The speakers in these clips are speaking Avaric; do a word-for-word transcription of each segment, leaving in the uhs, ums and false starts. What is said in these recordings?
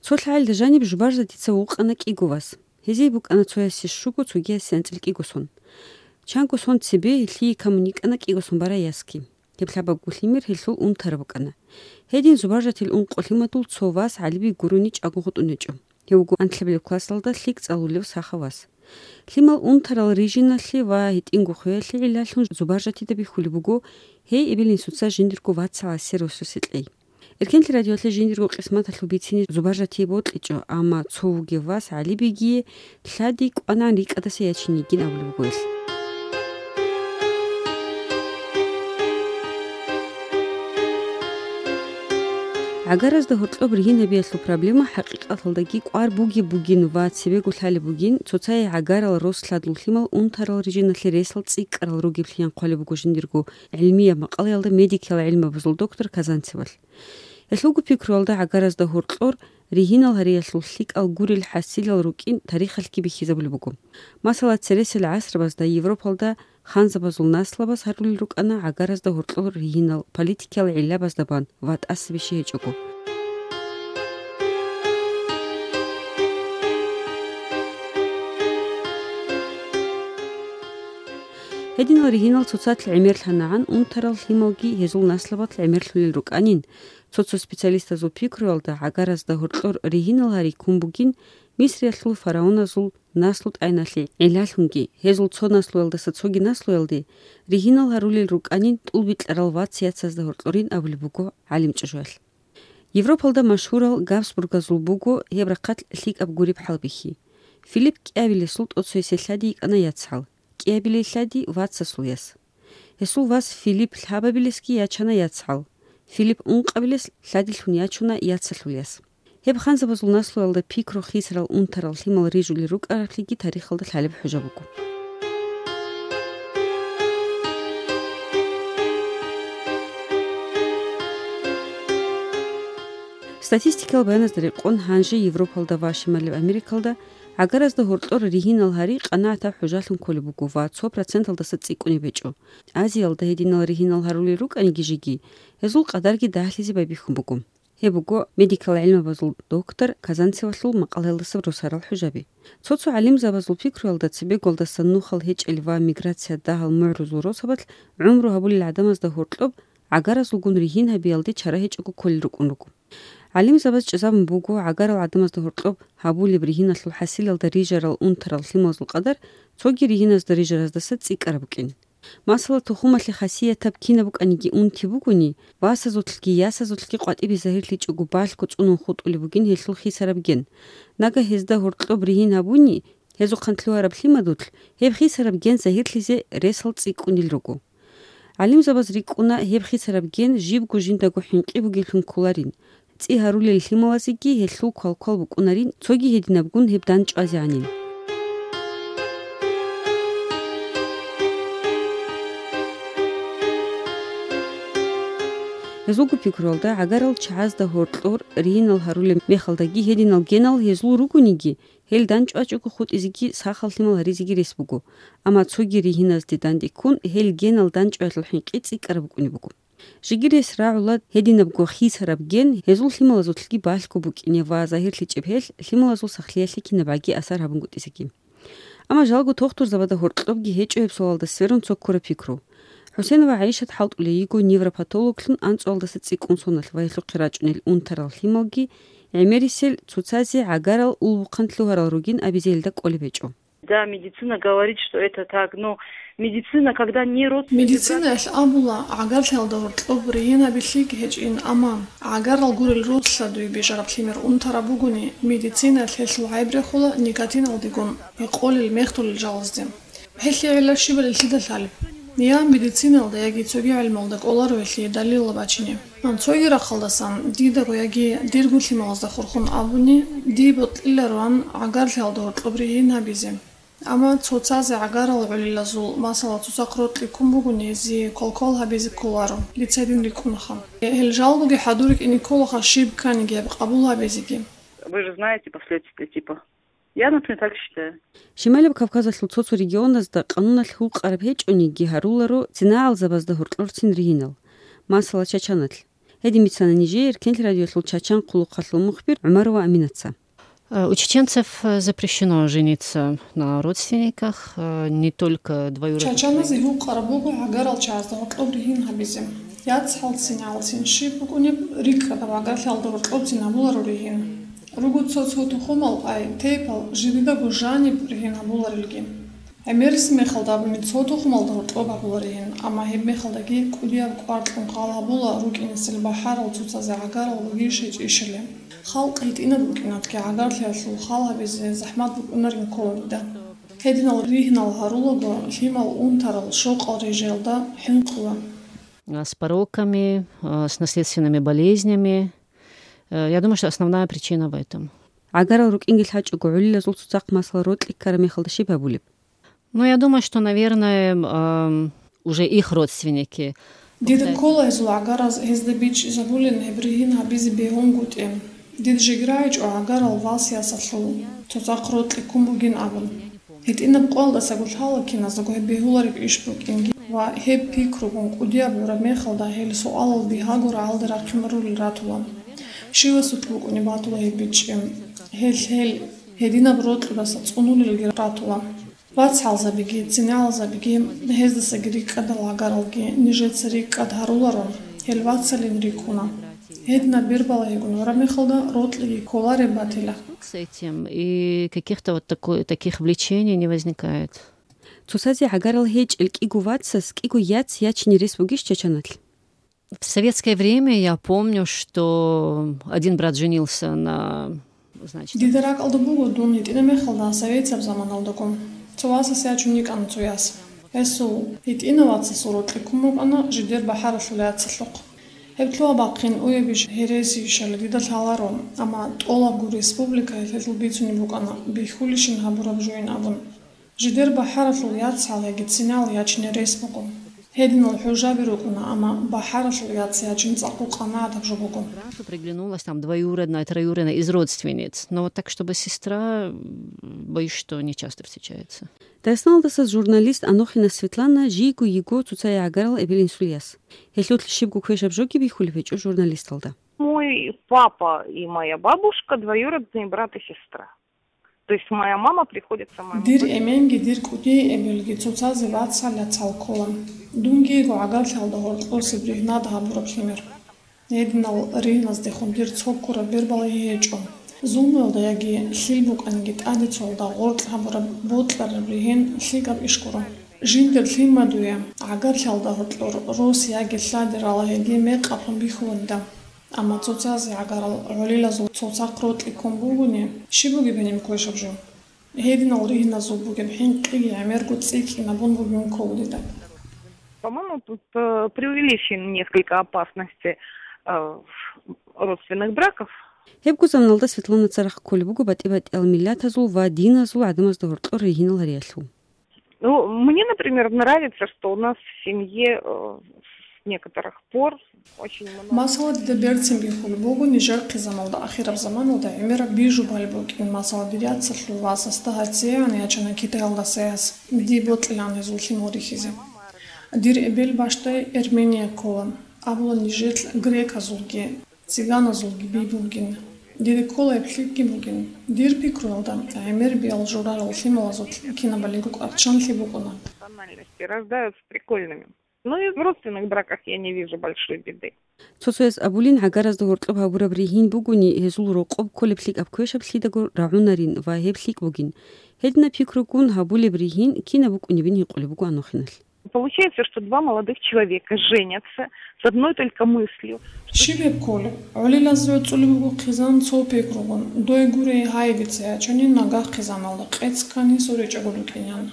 Цо лъагӀалда жаниб Зубаржатица вукъана кӀиго вас. Гьезие букӀана цоясе щуго, цогиясе анцӀила кӀиго сон. Чанго сон цебе гьелъие камун йикӀана кӀиго сон барай ясги. Гьеб лъабабго лъимер гьелъул унтараб букӀана. Гьедин Зубаржатил ункъо лъимадул цо вас ГӀалибиги гурони чӀаго гъутӀун гьечӀо. Гьев вуго анлъабилеб классалда лъикӀ цӀалулев сахав вас. Лъимал унтарал рижиналъе ва гьитӀинго хвеялъе гӀиллалъун Зубаржатида бихьулеб буго гьей эбел-инсуца жиндирго вацал гӀасир росусе кьей. Эркенлъи радиоялъе жиндирго къисматалъул бицине Зубаржатие бокьичӀо, амма цо вугев вас ГӀалибигие лъади кӀванагӀан рикӀкӀадаса ячин йигин абулеб буго гьелъ. ГӀагаразда гьоркьоб ригьин гьабиялъул проблема хӀакъикъаталдаги кӀвар бугеб бугин ва цебего лъалеб бугин, цоцае гӀагарал рос лъадул лъимал унтарал рижиналъе ресал цӀикӀкӀарал ругеблъи хъвалеб буго жиндирго гӀилмияб макъалаялда медикиял гӀилмабазул доктор Казанцевалъ. Гьелъулго пикруялда гӀагаразда гьоркьор ригьинал гьариялъул лъикӀал гурел хӀасилал рукӀин тарихалъги бихьизабулеб буго. Масала, цересел гӀасрабазда Европалда ханзабазул наслабаз гьарулел рукӀана гӀагаразда гьоркьор ригьинал политикиял гӀиллабазда бан ва тӀаса бищи гьечӀого. Гьединал ригьинал цоцалъ гӀемерлъанагӀан унтарал лъималги гьезул наслабалъ гӀемерлъулел рукӀанин, цо-цо специалистазул пикруялда гӀагаразда гьоркьор ригьинал гьари ккун бугин Мисриялъул фараоназул наслу-тӀайналъе гӀиллалъунги, гьезул цо наслуялдаса цоги наслуялде ригьинал гьарулел рукӀанин тӀулбикьарал вац-яцазда гьоркьорин абулеб буго гӀалимчӀужуялъ. Европалда машгьурал Габсбургазул буго гьеб рахъалъ лъикӀаб гуреб хӀалбихьи. Филипп кӀиабилесул тӀоцоясе лъади йикӀана яцгӀал, кӀиабилей лъади вацасул яс. Гьесул вас Филипп лъабабилесги ячана яцгӀал. Филипп ункъабилес лъадилъун ячуна яцалъул яс. Гьеб ханзабазул наслуялда пикру хисарал унтарал лъимал рижулел рукӀараблъиги тарихалда лъалеб хӀужа буго. Статистикиял баяназда рекъон, гьанже Европалда ва Шималаб Америкалда гӀагаразда гьоркьор ригьинал гьари къанагӀатаб хӀужалъун кколеб буго ва цо проценталдаса цӀикӀкӀунеб гьечӀо. Азиялда гьединал ригьинал гьарулел рукӀаниги жеги, гьезул къадарги дагьлъизе байбихьун буго. Гьеб буго медикал гӀилмабазул доктор Казанцевалъул макъалаялдаса росарал хӀужаби. Цо-цо гӀалимзабазул пикруялда цебеголдасан нухал гьечӀел ва миграция дагьал мугӀрузул росабалъ гӀумру гьабулел гӀадамазда гьоркьоб гӀагаразулгун ригьин гьабиялде чара гьечӀого кколел рукӀун руго. ГӀалимзабаз чӀезабун буго, гӀагарал гӀадамазда гьоркьоб гьабулеб ригьиналъул хӀасилалда рижарал унтарал лъималазул къадар цоги ригьиназда рижараздаса цӀикӀкӀараб букӀин. Масала, тухумалъе хасиятаб кинаб букӀаниги унти бугони, васазулъги ясазулъги къватӀибе загьирлъичӀого балъго цӀунун хутӀулеб бугин гьелъул хисараб ген. Нагагь гьезда гьоркьоб ригьин гьабуни, гьезухъан лъугьараб лъимадулъ гьеб хисараб ген загьирлъизе ресал цӀикӀкӀунел руго. ГӀалимзабаз рикӀкӀуна гьеб хисараб ген жибго жиндаго хӀинкъи бугеблъун кколарин, цӀи гьарулел лъималазеги гьелъул квалквал букӀунарин, цоги гьединабгун гьеб дандчӀвазегӀанин. Гьезулго пикруялда, гӀагарал чагӀазда гьоркьор ригьинал гьарулеб мехалдаги гьединал генал гьезул ругониги, гьел дандчӀвачӀого хутӀизеги сахал лъимал гьаризеги рес буго, амма цоги ригьиназде данде ккун гьел генал дандчӀваялъул хӀинкъи цӀикӀкӀараб букӀунеб буго. Жеги рес рагӀула гьединабго хисараб ген гьезул лъималазулъги балъго букӀине ва загьирлъичӀеб гьелъ лъималазул сахлъиялъе кинабгӀаги асар гьабунгутӀизеги. Амма жалго тохтурзабада гьоркьобги гьечӀо гьеб суалалда сверун цо ккураб пикру. ХӀусенова ГӀайшат хӀалтӀулей йиго невропатологлъун анцӀуалдаса цӀикӀкӀун соналъ ва гьелъухъе рачӀунел унтарал лъималги гӀемерисел цоцазе гӀагарал улбухъан лъугьарал ругин абизе гьелда кӀолеб гьечӀо. Да, медицина говорит, что это так, но медицина, когда не родственник... Медицинаялъ абула, гӀагарлъиялда гьоркьоб ригьин гьабилъиги гьечӀин, амма гӀагарал гурел рос лъадуй бижараб лъимер унтараб бугони, медицинаялъ гьелъул гӀайб рехула никотиналдегун гьекъолел мехтулел жалазде. Гьелъие гӀилла щибали лъида лъалеб? Я медициналда, яги цоги гӀелмалда кӀоларо гьелъие далилал бачине. Цоги рахъалдасан, дидаго яги дирго лъималазда хурхун абуни, дие бокьилароан гӀагарлъиялда гьоркьоб ригьин гьабизе. Амма цоцазе гӀагарал гӀолилазул, масала, цоцахъ рокьи ккун бугони, гьезие квалквал гьабизе кколаро, дица гьедин рикӀкӀунаха. Гьел жалгоги хӀадур рикӀкӀине кколаха, щиб кканиги гьеб къабул гьабизеги. Вы же знаете последствия, типа. Я, например, так считаю. Шималаб Кавказалъул цо-цо регионазда къануналъ гьукъараб гьечӀониги гьаруларо цинагӀалзабазда гьоркьорцин ригьинал. Масала, Чачаналъ. Гьедин бицана нижее Эркенлъи радиолъул чачан хъулухъалъул мухбир ГӀумарова Аминаца. Э, у чеченцев, э, запрещено жениться на родственниках, э, не только двоюродных. Чачаназе гьукъараб буго гӀагарал чагӀазда гьоркьоб ригьин гьабизе. ЯцгӀалцин-гӀалцин щиб букӀунеб, рикӀкӀадаб гӀагарлъиялда гьоркьобцин гьабуларо ригьин. Руго цо-цо тухумал, ай, тейпал жидедаго жаниб ригьин гьабуларилги. ГӀемерисеб мехалда абуни цо тухумалда гьоркьоб гьабуларигьин, амма гьеб мехалдаги кӀудияб кӀвар кьун хал гьабула рукӀинесел бахӀарал цоцазе гӀагарал бугищ гьечӀищали. Халкъ гьитӀинаб букӀинатги гӀагарлъиялъул хал гьабизе захӀмат букӀунарин ккола дида. Гьединал ригьинал гьарулаго лъимал унтарал щокъал рижаялда хӀинкъула. А, с пороками, а, с наследственными болезнями. Э, я думаю, что основная причина в этом. ГӀагарал рукӀинги лъачӀого гӀолилазул цоцахъ масала рокьи ккараб мехалда щиб гьабулеб? Ну, я думаю, что, наверное, ам, уже их родственники. Дида ккола гьезул гӀагараз гьезда бичӀчӀизабулин гьеб ригьин гьабизе бегьунгутӀи. Дид жеги рагӀичӀо гӀагарал вас-ясалъул цоцахъ рокьи ккун бугин абун. ГьитӀинаб къоялдасаго лъала киназдаго гьеб бегьулареб иш букӀинги ва гьеб пикругун кӀудияб гӀураб мехалда гьел суалал бигьаго рагӀалде рахъин рулел ратула. Щивасулъ букӀунеб батула гьеб бичӀчӀи. Гьел, гьел гьединаб рокьудаса цӀунулелги ратула. ВацгӀалзабиги, цинегӀалзабиги, гьездасаги рикӀкӀадал гӀагаралги нижеца рикӀкӀад гьаруларо, гьел вацалин рикӀкӀуна. Гьединаб бербала гьигун гӀураб мехалда рокьиги кколареб батила. С этим и каких-то вот такой, таких влечений не возникает. Цоцазе гӀагарал гьечӀел кӀиго вацас кӀиго яц ячине рес бугищ чачаналъ? В советское время я помню, что один брат женился на, значит, Дида ракӀалда буго дун гьитӀина мехалда советияб заманалдаго. Цо васас ячун йикӀана цо яс. Гьесул гьитӀина вацасул рокьи ккун букӀана жидер бахӀаралъул яцалъухъ. Гьеб лъугьа-бахъин уябищ гьересийищали дида лъаларо, амма тӀолабго республикаялъ гьелъул бицунеб букӀана бихьулищин гьабураб жуйин абун. Жидер бахӀаралъул яцал яги цинал ячине рес буго. Гьединал хӀужаби рукӀуна, амма бахӀаралъул яц ячин цӀакъго къанагӀатаб жо буго. Сразу приглянулась там двоюродная, троюродная из родственниц. Но вот так, чтобы сестра, м, боюсь, что не часто встречается. Дагъистаналдаса журналист Анохина Светлана жийго йиго цоцае гӀагарал эбел-инсул яс. Гьелъулъ щибго квешаб жоги бихьулеб гьечӀо журналисталда. Мой папа и моя бабушка двоюродные брат и сестра. То есть моя мама приходится моему Дир эменги дир кӀудияй эбелги цоцазе вацал-яцал ккола. Дунги йиго гӀагарлъиялда гьоркьосеб ригьнад гьабураб лъимер. Гьединал ригьназдехун дир цо ккураб бербалаги гьечӀо. Зулмуялда яги лъил букӀанги тӀаде цоялда гъоркь гьабураб бокьараб ригьин лъикӀаб иш гуро. Жиндир лъимадуе гӀагарлъиялда гьоркьор рос яги лъади ралагьиги мекъаблъун бихьуланида. Амма цоцазе гӀагарал гӀолилазул цоцахъ рокьи ккун бугони, щиб бугеб гьениб квешаб жо? Гьединал ригьназул бугеб хӀинкъиги гӀемерго цӀикӀкӀинабун бугин ккола дида. По-моему, тут, э, преувеличены несколько опасности, э, родственных браков. Гьебго заманалда Светлана царахъ кколеб буго батӀи-батӀиял миллатазул ва диназул гӀадамазда гьоркьор ригьинал гьариялъул. Ну, мне, например, нравится, что у нас в семье, э, с некоторых пор очень много Масала, дида берцин бихьулеб буго нижер хъизаналда ахираб заманалда гӀемераб бижубали букӀин, масала, дир яцалъул васасда гьацӀигӀан ячана Китаялдаса яс, дие бокьилаан гьезул лъимал рихьизе. Дир эбел бащдай Эрмения ккола, абула нижелъ греказулги, цыганазулги би бугин. Дида ккола гьеб лъикӀги бугин. Дир пикруялда, гӀемер биал журарал лъималазул кинабали рукӀарччанлъи букӀуна. Национальности рождаются прикольными. Но и в родственных браках я не вижу большой беды. Цо-цояс абулин, гӀагаразда гьоркьоб гьабураб ригьин бугони, гьезул рокъоб кколеб лъикӀаб квешаб лъидагур рагӀунарин ва гьеб лъикӀ бугин. Гьединаб пикругун гьабулеб ригьин кинаб букӀунебин гьикъулеб буго Анохиналъ. Получается, что два молодых человека женятся с одной только мыслью, что Щиб гьеб кколеб? ГӀолилазе цӀулеб буго хъизан цо пикругун, дой гурей гьай дица ячани нагагь хъизаналда къец ккани суричӀого рукӀинян.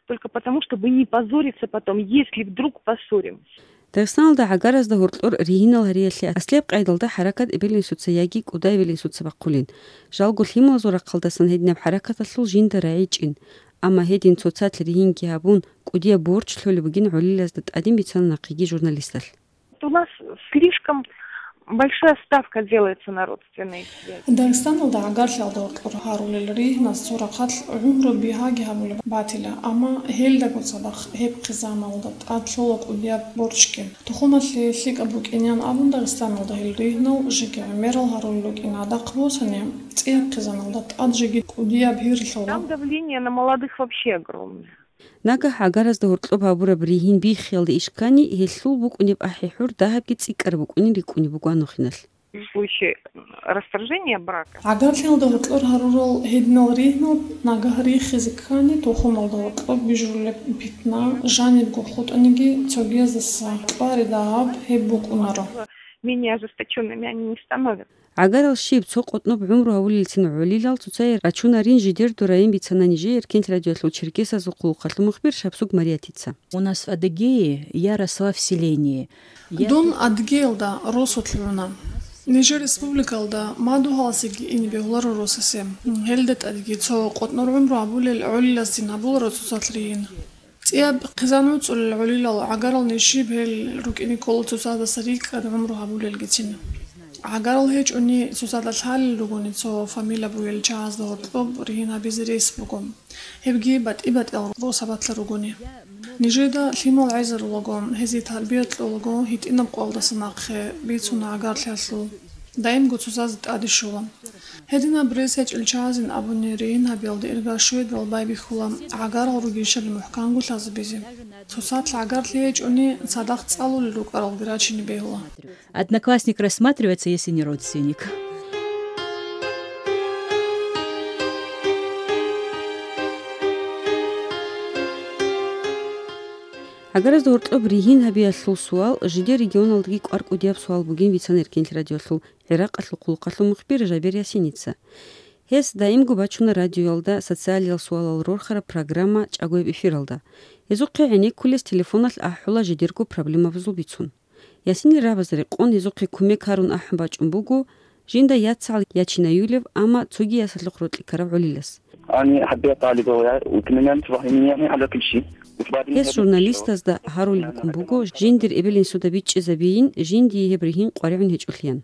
Только потому, чтобы не позориться потом, если вдруг поссоримся. Дагъистаналда гӀагаразда гьоркьор ригьинал гьариялъе аслияб къайдалда хӀаракат эбел-инсуца яги кӀуда эбел-инсуца бахъулин. Жалго лъималазул рахъалдасан гьединаб хӀаракаталъул жинда рагӀичӀин. Амма гьедин цоцалъ ригьинги гьабун, кӀудияб борч лъолеб бугин гӀолилазда тӀадин бицана нахъеги журналисталъ. У нас слишком Большая ставка делается на родственные связи. Дагъистаналда гӀагарлъиялда гьоркьор гьарулел ригьназ цо рахъалъ гӀумру бигьаги гьабулеб батила, амма гьелдаго цадахъ гьеб хъизаналда тӀад лъола кӀудияб борчги. Тухумалъе лъикӀаб букӀинеян абун Дагъистаналда гьел ригьнал жеги гӀемерал гьарулел рукӀин гӀадахъ босани, цӀияб хъизаналда тӀад жеги кӀудияб гьир лъола. Там давление на молодых вообще огромное. Нагагь гӀагаразда гьоркьоб гьабураб ригьин биххиялда иш ккани, гьелъул букӀунеб ахӀи-хӀур дагьабги цӀикӀкӀараб букӀунин рикӀкӀунеб буго гьанухъиналъ. В случае расторжения брака. ГӀагарлъиялда гьоркьор гьарурал гьединал ригьнал нагагь рихизе ккани, тухумалда гьоркьоб бижулеб питна жанибго хутӀаниги, цогияздаса кьвари дагьаб гьеб букӀунаро. Менее ожесточёнными они не становятся. ГӀагарал щиб, цо къотӀноб гӀумру гьавулелцин гӀолилал цоцае рачунарин жидерго райин бицана нижее Эркенлъ радиоялъул Черкесазул хъулухъалъул мухбир Шапсуг Мариятица. У нас в Адыгее я росла в селении. Я Дун ту- Адыгеялда росулъ руна. Нижер республикалда мадугьаласеги ине бегьуларо росасе. Гьелда тӀадеги цо къотӀнор гӀумру гьабулел гӀолиласдин гьабуларо цоцалъ ригьин. ЦӀияб хъизан гӀуцӀулел гӀолилал гӀагарал ниж щиб гьел рукӀине ккола цоцаздаса рикӀкӀад гӀумру гьабулелгицин. ГӀагарал гьечӀони цоцазда лъалел ругони цо фамилия бугел чагӀазда гьоркьоб ригьин гьабизе рес буго. Гьебги батӀи-батӀиял росабалъа ругони. Нижеда лъимал гӀезарулаго, гьезие тарбия кьолаго, гьитӀинаб къоялдаса нахъе бицуна гӀагарлъиялъул. Даимго цоцазда тӀаде щола. Гьединаб рес гьечӀел чагӀазин абуни, ригьин гьабиялде ирга щведал байбихьула гӀагарал ругищали мухӀканго лъазабизе. Цоцалъ гӀагарлъи гьечӀони, цадахъ цӀалулел рукӀаралги рачине бегьула. Одноклассник рассматривается, если не родственник. ГӀагаразда гьоркьоб ригьин гьабиялъул суал жидер регионалдаги кӀвар-кӀудияб суал бугин бицана Эркенлъ радиоялъул ГӀиракъалъул хъулухъалъул мухбир Жабер Ясиница. Гьес даимго бачуна радиоялда социалиял суалал рорхараб программа чӀагояб эфиралда. Гьезухъе гӀенеккулес телефоналъ ахӀула жидерго проблемабазул бицун. Ясинил рагӀабазда рекъон гьезухъе кумек гьарун ахӀун бачӀун буго жинда яцагӀал ячинаюлев, амма цоги ясалъухъ рокьи ккарав гӀолилас. أنا حبيت طالبة ويا-، وتمنيت وهمية على كل شيء. وبعد Гьес журналистазда гьарулеб букӀун буго, жиндир эбел-инсуда бичӀчӀизабейин, жиндие гьеб ригьин къваригӀун гьечӀолъиян.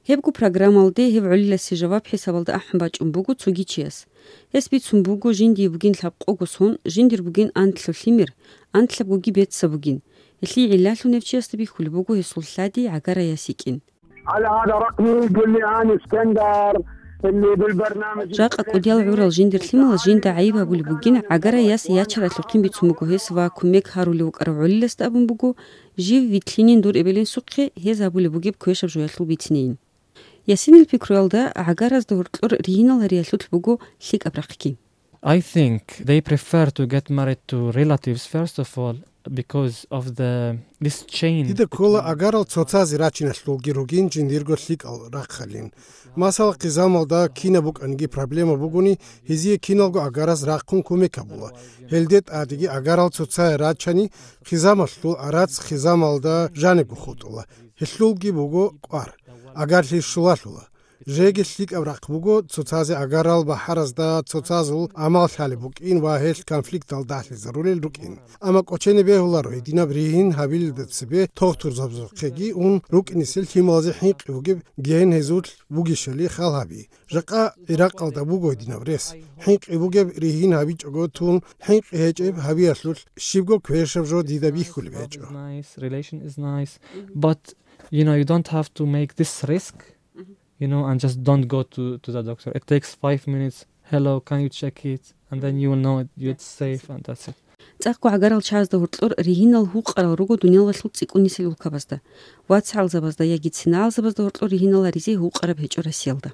Гьебго программалде гьеб гӀолиласе жаваб хӀисабалда ахӀун бачӀун буго цоги чияс. Гьес бицун буго, жиндие бугин лъабкъого сон, жиндир бугин анлъго лъимер, анлъабгоги беццаб бугин. Гьелъие гӀиллалъун гьев чиясда бихьулеб буго гьесул лъади гӀагара яс йикӀин. على هذا رقمي، قل لي أنا اسكندر اللي بالبرنامج. Жакъа кӀудиял гӀурал жиндир лъималаз жинда гӀайиб гьабулеб бугин, гӀагара яс ячаралъухъин бицун буго гьес ва кумек гьарулев вукӀарав гӀолиласда абун буго, жив вилълъинин дур эбел-инсухъе, гьез гьабулеб бугеб квешаб жоялъул бицинейин. Ясинил пикруялда, гӀагаразда гьоркьор ригьинал гьариялъулъ буго лъикӀаб рахъги. I think they prefer to get married to relatives, first of all, because of the, this chain Дида ккола between агарал цоцазе рачиналъулги ругин жиндирго лъикӀал рахъалин. Масала, хъизамалда кинаб букӀаниги проблема бугони, гьезие киналго агараз рахъун кумек гьабула. Гьелде тӀадеги агарал цоцае рачани, хъизамалъул арац хъизамалда жанибго хутӀула. Гьелъулги буго кӀвар, агарлъи щулалъула. Жеги лъикӀаб рахъ буго, цоцазе агарал бахӀаразда цоцазул амал лъалеб букӀин ва гьелъ конфликтал дагьлъизарулел рукӀин. Амма кӀочене бегьуларо гьединаб ригьин гьабилелда цебе тогтурзабазухъеги ун рукӀинесел лъималазе хӀинкъи бугеб ген гьезулъ бугищали хал гьаби. Жакъа ГӀиракъалда буго гьединаб рес. ХӀинкъи бугеб ригьин гьабичӀого тун, хӀинкъи гьечӀеб гьабиялъулъ щибго квешаб жо дида бихьулеб гьечӀо. Nice, relation is nice, but, you know, you don't have to make this risk, you know, and just don't go to, to the doctor. It takes five minutes. "Hello, can you check it?" And then you will know it, it's safe, and that's it. ЦӀакъго гӀагарал чагӀазда гьоркьор ригьинал гьукъарал руго дуниялалъул цӀикӀкӀунисел улкабазда. ВацгӀалзабазда яги цинагӀалзабазда гьоркьор ригьинал гьаризе гьукъараб гьечӀо Россиялда.